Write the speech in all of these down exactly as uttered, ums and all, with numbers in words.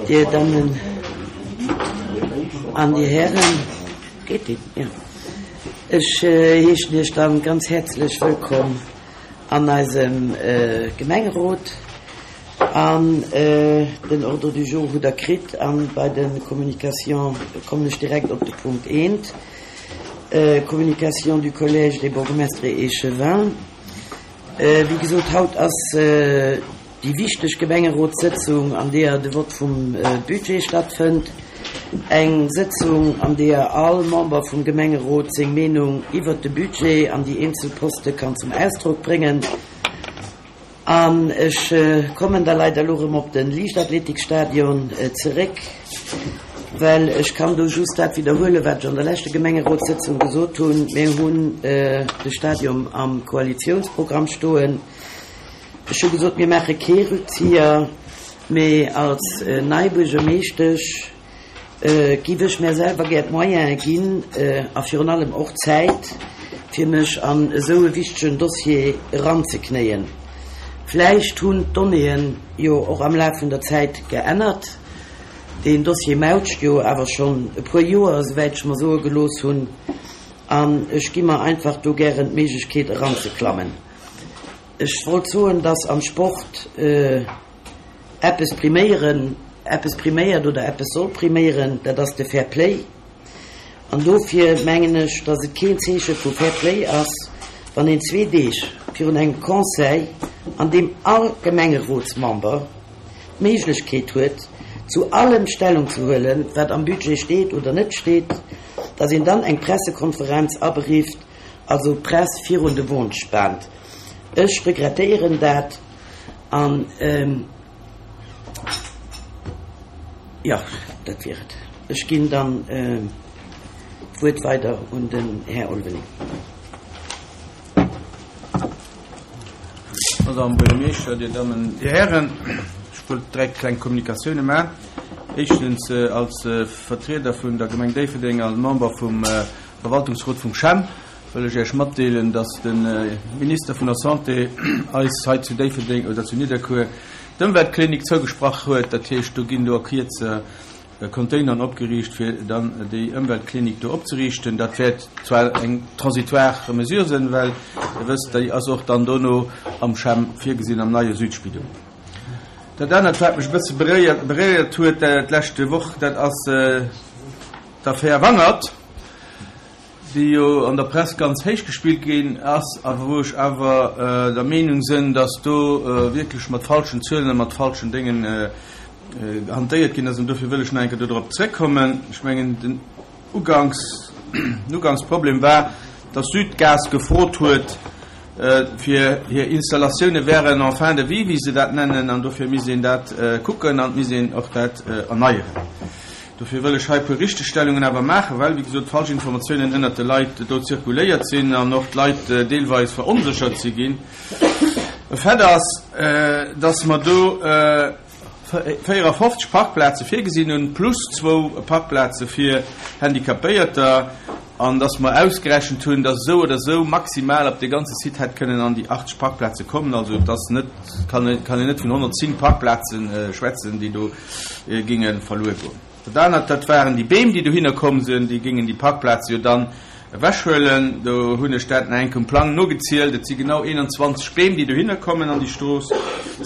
Dir Dammen an Dir Hären, geet deen? Jo. Ech heeschen Iech dann ganz häerzlech wëllkomm an eisem Gemengerot. An den Ordre du jour hutt Der kritt an bei de Communications kommen ech direkt op de Punkt eent, Communication du Collège des bourgmestres et échevins. Wéi gesot, haut ass déi wichteg Gemengerotssëtzung, an deeër de Vott vum Budget stattfënnt. Eng Sëtzung, an deeër all Member vum Gemengerot seng Meenung iwwert de Budget an déi eenzel Poste kann zum Ausdrock bréngen. An ech kommen da leider elo erëm op de Liichtathletikstadion zeréck, well ech kann do just dat widderhuelen, wat ech an der leschte Gemengerotssëtzung gesot hunn. Mir hunn de Stadion am Koalitionsprogramm stoen. Ech hu gesot, mir maache kee Rückzieher, mee als nei Buergermeeschtesch giff ech mär selwer gär d'Moyene ginn a virun allem och d'Zäit, fir mech an esou e wichtegen Dossier eranzeknéien. Vläicht hunn d'Donnéeën jo och am Laf vun der Zäit geännert. Deen Dossier mautscht jo awer schonn e puer Joer, esouwäit ech mer soe gelooss hunn, an ech gi mer einfach do gären d'Méiglechkeet eranzeklammen. Ech wollt soen, dass am Sport eppes priméieren, eppes priméiert oder eppes soll priméieren, dat ass de Fair Play. An dofir mengen ech, dass et keen Zeeche vu Fair Play ass, wann een zwee Deeg virun engem Conseil, an deem all Gemengerotsmember d'Méiglechkeet huet, zu allem Stellung ze huelen, wat am Budget steet oder net steet, dass een dann eng Pressekonferenz aberifft, also d'Press virun de Won spaant. Ech regrettéieren dat an, jo, dat wier et. Ech ginn dann d'Wuert weider un den Här Olwening. Madame Buergermeeschter, Dir Dammen, Dir Hären, ech wollt dräi kleng Kommunikatioune maachen. Éischtens, als Vertrieder vun der Gemeng Déifferdeng a Member vum Verwaltungsrot vum CHEM wëll ech Iech matdeelen, dass de Minister vun der Santé eis hei zu Déifferdeng oder zu Nidderkuer d'Ëmweltklinik zougesprach huet. Dat heescht, do ginn do a Kierze Containeren opgeriicht, fir dann déi Ëmweltklinik do opzeriichten. Dat wäert zwar eng transitoire Mesure sinn, well Der wësst, déi ass och dann dono am CHEM virgesinn, am neie Südspidol. Dat anert, wat mech e bësse beréiert huet d'leschte Woch, dat ass d'Affär Wangert, déi jo an der Press ganz héich gespillt ginn ass a wou ech awer der Meenung sinn, dass do wierklech mat falschen Zuelen a mat falschen Déngen hantéiert ginn ass. An dofir wëll ech nach eng Kéier dodrop zréckkommen. Ech mengen, den Uganks, den Ugangsproblem war, dass Südgas gefrot huet, fir hir Installatioune wären en fin de vie, wéi se dat nennen, an dofir misst een dat kucken an et misst een och dat erneieren. Dofir wëll ech hei e puer Richtegstellungen awer maachen, well, wéi gesot, falsch Informatiounen ënnert de Leit do zirkuléiert sinn an och d'Leit deelweis veronséchert si ginn. E Fait ass, dass mer do véierafofzeg Parkplaze virgesinn hunn, plus zwou Parkplaze fir Handicapéierter, an dass mer ausgerechent hunn, dass esou oder esou maximal op dee ganze Site hätt kënnen an déi achtzeg Parkplaze kommen. Also et ass net, kann een net vun honnertzéng Parkplaze schwätzen, déi do géinge verluer goen. Dat anert, dat waren déi Beem, déi dohinner komm sinn, déi géingen déi Parkplaze jo dann ewechhuelen. Do hunn ech dat nach eng Kéier um Plang nogezielt. Et si genau eenanzwanzeg Beem, déi dohinner kommen an déi Strooss.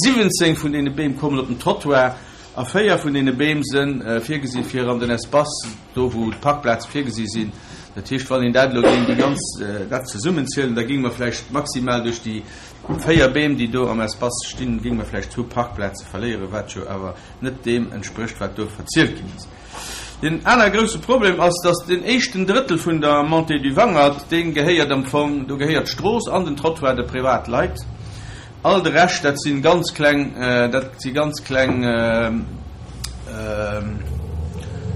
Siwwenzéng vun deene Beem kommen op den Trottoir a véier vun deene Beem si virgesi fir an den Espace, do wou d'Parkplaze virgesi sinn. Dat heescht, wann een dat elo géing déi ganz, dat zesummenzielen, da géinge mer vläicht maximal duerch déi véier Beem, déi do am Espace stinn, géinge mer vläicht zwou Parkplaze verléieren, wat jo awer net deem entsprécht, wat do verzielt ginn ass. Deen anere grousse Problem ass, dass den éischten Drëttel vun der Montée du Wangert, dee gehéiert am Fong, do gehéiert d'Strooss an den Trottoir de Privatleit. All de Rescht, dat si ganz kleng, dat si ganz kleng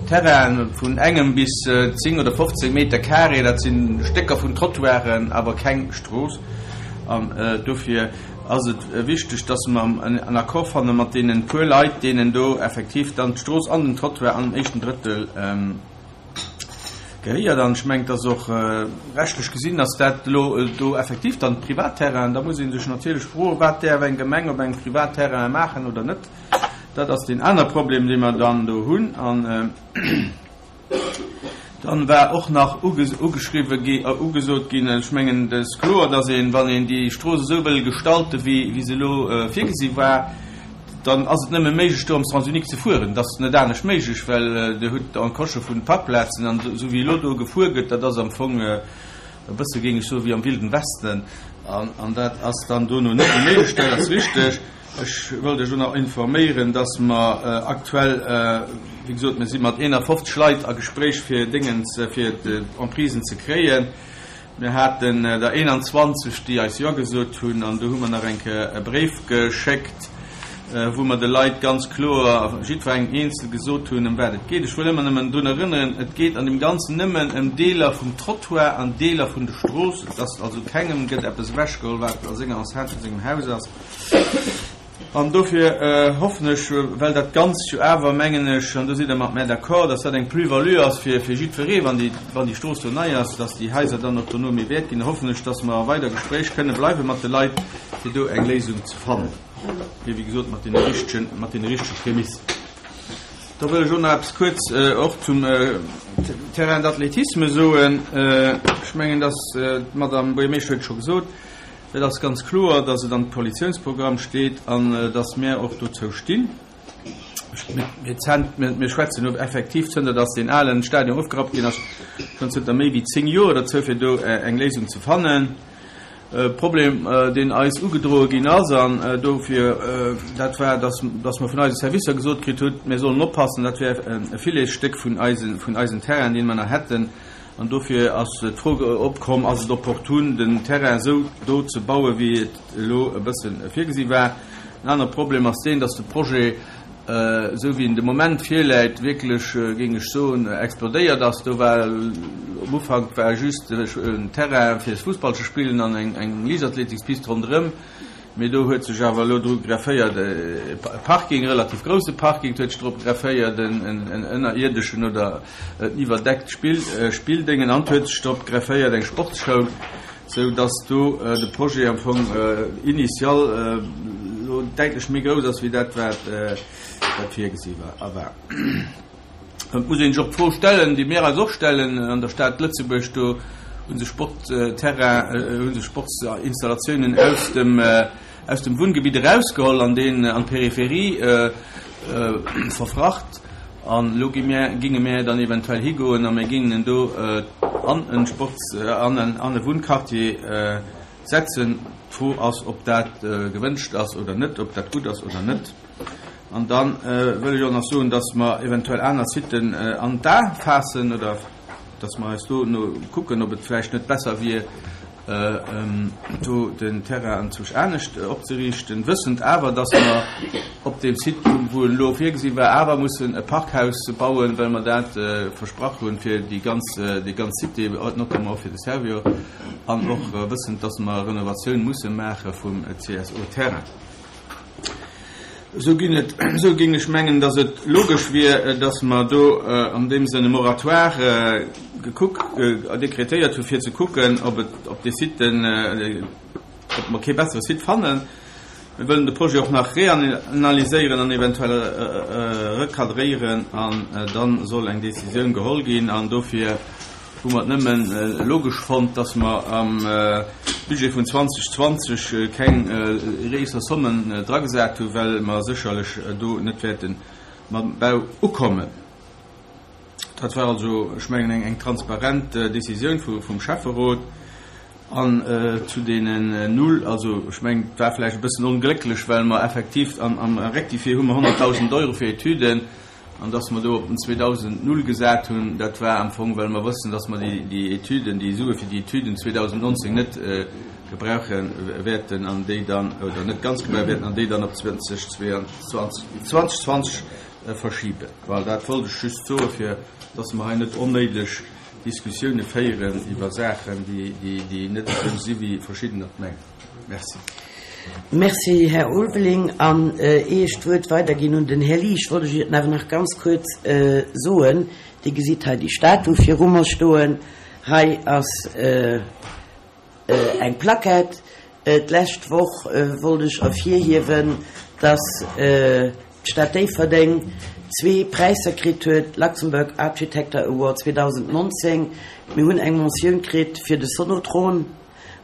Terrainen vun engem bis zéng oder fofzéng Meter carré, dat si Stécker vun Trottoiren, awer keng Strooss. An dofir ass et wichteg, dass mer en Accord fanne mat deenen puer Leit, deenen do effektiv dann d'Strooss an den Trottoir an dem éischten Drëttel gehéiert. An ech mengen, dass och rechtlech gesinn ass dat elo do effektiv dann Privatterrain. Da muss ee sech natierlech froen, wat däerf eng Gemeng op engem Privatterrain maachen oder net. Dat ass deen aner Problem, dee mer dann do hunn. An dann war och nach ugeschriwwe gi, ugesot ginn, ech mengen, et ass kloer, dass een, wann een déi Strooss esou wëll gestalten, wéi, wéi se elo virgesi war, dann ass et nëmme méiglech, do am Sens unique ze fueren. Dat ass net anescht méiglech, well Dir hutt Encoche vun Parkplazen an esou wéi elo do gefuer gëtt, dat ass am Fong e bësse, géing ech soen, wéi am Wilden Westen. An, an dat ass dann dono net méi méiglech, dat ass richteg. Ech wëllt Iech och nach informéieren, dass mer aktuell, wéi gesot, mir si mat eenafofzeg Leit a Gespréich fir Déngens, fir d'Emprisen ze kréien. Mir haten der eenanzwanzeg, déi eis Jo gesot hunn, an do hu mer nach eng Kéier e Bréif geschéckt, wou mer de Leit ganz kloer, jiddwerengem eenzel gesot hunn, ëm wat et geet. Ech wëll ëmmer nëmmen drun erënneren, et geet an deem Ganzen nëmmen ëm Deeler vum Trottoir an Deeler vun de Strooss. Et ass also kengem gëtt eppes ewechgeholl, wat a senger Enceinte vun sengem Haus ass. An dofir hoffen ech, well dat Ganzt jo awer, mengen ech, an do sidd Der mat mär d'accord, dass dat eng Plus-value ass fir jiddweree, wann déi, wann déi Strooss do nei ass, dass déi Haiser dann och dono méi wäert ginn, hoffen ech, dass mer a weider Gespréich kënne bleiwe mat de Leit, fir do eng Léisung ze fannen, mee wéi gesot mat deene richtegen, mat deene richtege Prämissen. Da wëll ech och nach eppes kuerz och zum Terrain d'athlétisme soen. Ech mengen, dass d'Madame Buergermeeschter huet et scho gesot, Et ass ganz kloer, dass et am Koalitionsprogramm steet an dass mär och dozou stinn. Mir schwätzen elo effektiv, zënter dass deen alen Stadion ofgerappt ginn ass, schonn zënter méi wéi zéng Joer dozou, fir do eng Léisung ze fannen. Problem, deen eis ugedroe ginn ass, an dofir, dat war, dass dass mer vun eise Servicer gesot kritt hunn, mir sollen oppassen, dat wär e Filetsstéck vun eisen vun eisen Terrainen, dee mer nach hätten. An dofir ass d'Fro opkomm, Ass et opportun, den Terrain esou do ze bauen, wéi et elo e bësse virgesi war? En anere Problem ass deen, dass de Projet, esou wéi en de Moment virläit, wierklech, géing ech soen, explodéiert ass. Do war um Ufank war just en Terrain fir Fussball ze spillen an eng Liichtathletikspist ronderëm. Mee do huet sech awer elo dru grefféiert e Parking, e relativ grousse Parking, et huet sech drop grefféiert en ënnerierdeschen oder en iwwerdeckt Spilldéngen an et huet sech drop grefféiert eng Sportsschoul, sou dass do de Projet am Fong initial elo däitlech méi grouss ass wéi dat wat virgesi war. Et muss een sech och d'Fro stellen, déi mir eis och stellen an der Stad Lëtzebuerg, do hu sech Sportterrain, hu sech Sportsinstallatiounen aus dem, aus dem Wunngebitt erausgeholl an deen an d'Peripherie verfracht. An elo gi mir, ginge mir dann eventuell higoen a mir gingen en do an e Sports-, an en, an e Wunnquartier setzen. D'Fro ass, ob dat gewënscht ass oder net, ob dat gutt ass oder net. An da wëll ech och nach soen, dass mer eventuell aner Siten an d'A faassen oder dass mer eis do no kucken, ob et vläicht net besser wier, do den Terrain anzwousch anescht opzeriichten, wëssend awer, dass mer op deem Site, wou en elo virgesi war, awer mussen e Parkhaus bauen, well mer dat versprach hunn fir déi ganz, déi ganz Cité, notamment och fir de Servior, an och wëssend, dass mer Renovatioun musse maache vum C S O-Terrain. Esou ginn et, esou géing ech mengen, dass et logesch wier, dass mer do an deem Sënn e Moratoire gekuck, dekretéiert hu fir ze kucken, ob et op de Siten, ob mer kee bessere Site fannen. Mir wëllen de Projet och nach reanalyséieren an eventuell recadréieren an dann soll eng Décisioun geholl ginn. An dofir hu mer et nëmmen logesch fonnt, dass mer am Budget vun zwanzeg zwanzeg keng gréisser Sommen dragesat hu, well mer sécherlech do net wäerte mam Bau ukommen. Dat war also, ech mengen, eng, eng transparent Décisioun vu, vum Schäfferot. An zu deenen Null, also ech mengen, et war vläicht e bëssen onglécklech, well mer effektiv am, am Rectifié hu mer honnertdausend Euro fir Etüden, an dass mer do op den zweedausend Null gesat hunn, dat war am Fong, well mer wëssen, dass mer déi, déi Etüden, déi Sue fir déi Etüden zweedausendnonzéng net gebrauche wäerten an déi dann, oder net ganz gebrauche wäerten an déi dann op zwanzeg zweiundzwanzeg, zwanzeg zwanzeg verschiben. Voilà, dat wollt ech just soen, fir dass mer hei net onnéideg Diskussioune féieren iwwer Saachen, déi, déi, déi net esou si wéi verschiddener et mengen. Merci. Merci, Här Ulveling. An ier ech d'Wuert weiderginn un den Här Liesch, wollt ech Iech awer nach ganz kuerz soen, Dir gesitt hei déi Statu viru mer stoen. Hei ass eng Plaquette. D'lescht Woch wollt ech ervirhiewen, dass d'Stad Déifferdeng zwee Präisser kritt huet, Luxembourg Architecture Award zweedausendnonzéng. Mir hunn eng Mentioun kritt fir de Sonotron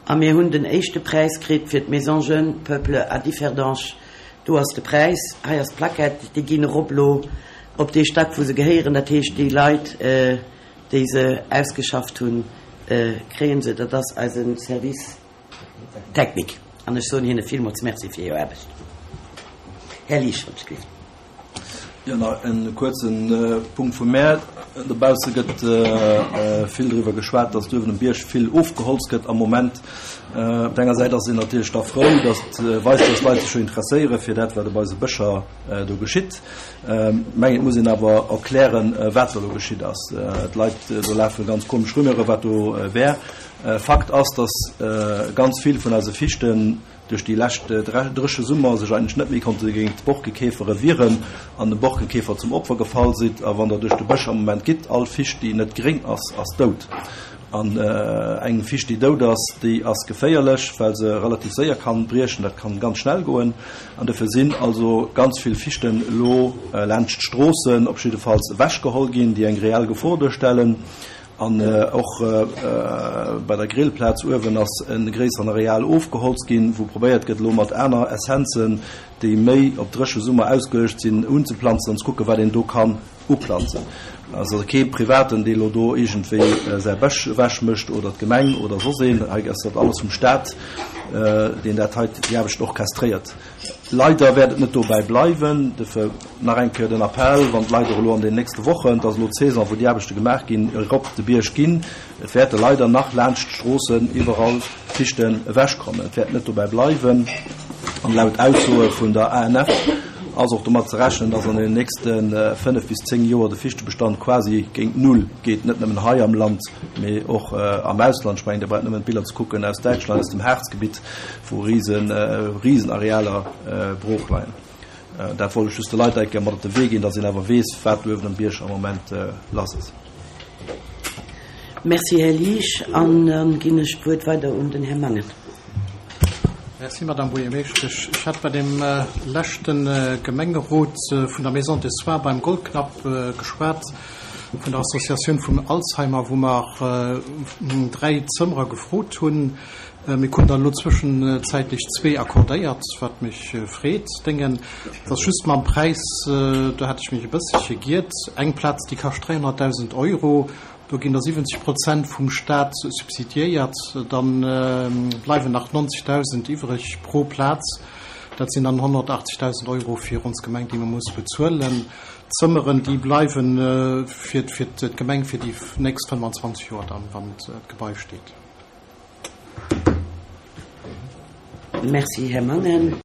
a mir hunn den éischte Präis kritt fir d'Maison Jeunes Peuples à Differdange. Do ass de Präis, hei ass d'Plaquette, déi ginn erop elo op dee Stack, wou se gehéieren. Dat heescht, déi Leit, déi se ausgeschafft hunn, kréie se. Dat ass eise Service technique an ech soen hinne villmools Merci fir hir Aarbecht. Här Liesch, wann ech gelift. Jo, nach en kuerzen Punkt vu mär. Dobausse gëtt vill driwwer geschwat, dass do uewen um Bierg vill ofgeholzt gëtt am Moment. Op der enger Säit ass een natierlech da frou, dass et weist, dass d'Leit sech jo interesséiere fir dat, wat op eise Bëscher do geschitt. Mengen, et muss een awer erklären, wat do elo geschitt ass. D'Leit, do lafe ganz komesch Rumeure wat do wär. Fakt ass, dass ganz vill vun eise Fichten duerch déi lescht dréche Summer sech eigentlech net méi konnte géint d'Borkekäfere wieren an dem Borkekäfer zum Opfer gefall sinn. A wann Der duerch de Bësch am Moment gitt, all Ficht, déi net gréng ass, ass dout. An eng Ficht, déi dout ass, déi ass geféierlech, well se relativ séier kann briechen. Dat kann ganz schnell goen. An dofir sinn also ganz vill Fichten elo laanscht d'Stroossen op jiddefalls ewechgeholl ginn, déi eng reell Gefor duerstellen. An och bei der Grillplaz uewen ass e gréisseren Areal ofgeholzt ginn, wou probéiert gëtt, elo mat aner Essenzen, déi méi op dréche Summer ausgeluecht sinn, unzeplanzen an ze kucken, wat een do kann uplanzen. Also kee Privaten, dee elo do iergendwéi säi Bësch ewechmécht oder d'Gemeng oder soss een. Hei ass dat alles vum Staat, deen dat hei, déi Aarbecht orchestréiert. Leider wäert et net dobäi bleiwen. Dofir nach eng Kéier den Appell, wann d'Leit och elo an den nächste Wochen, et ass elo d'Saison, wou déi Aarbechte gemaach ginn, erop de Bierg ginn, et wäerte leider nach laanscht d'Stroossen iwwerall Fichten ewechkommen. Et wäert net dobäi bleiwen. An laut Aussoe vun der A N F ass och domat ze rechnen, dass an den nächste fënnef bis zéng Joer de Fichtebestand quasi géint Null geet, net nëmmen hei am Land, mee och am Ausland. Ech mengen, Dir braucht nëmmen d'Biller ze kucken aus Däitschland, aus dem Harzgebitt, wou risen, risen Arealer brooch leien. Dat wollt ech just de Leit eng Kéier mat op de Wee ginn, dass een awer weess, wat do uewen um Bierg am Moment lass ass. Merci, Här Liesch. An dann ginn ech d'Wuert weider un den Här Mangen. Merci, Madame Buergermeeschtesch. Ech hat bei dem leschte Gemengerot vun der Maison des Soins beim Goldknapp geschwat, vun der Associatioun vum Alzheimer, wou mer dräi Zëmmerer gefrot hunn. Mir kruten der elo zwëschenzäitlech zwee accordéiert, wat mech freet. Déngen, et ass just mam Präis, do hat ech mech e bësselche giert. Eng Plaz, déi kascht dräihonnertdausend Euro. Do ginn der siwwenzeg Prozent vum Staat subsidiéiert, da bleiwen nach neunzigtausend iwwreg pro Plaz. Dat sinn dann honnertachtzigtausend Euro fir ons Gemeng, déi man muss bezuelen. D'Zëmmeren, déi bleiwen fir, fir d'Gemeng fir déi nächst fënnefanzwanzeg Joer dann, wann d'Gebai steet. Merci, Här Mangen.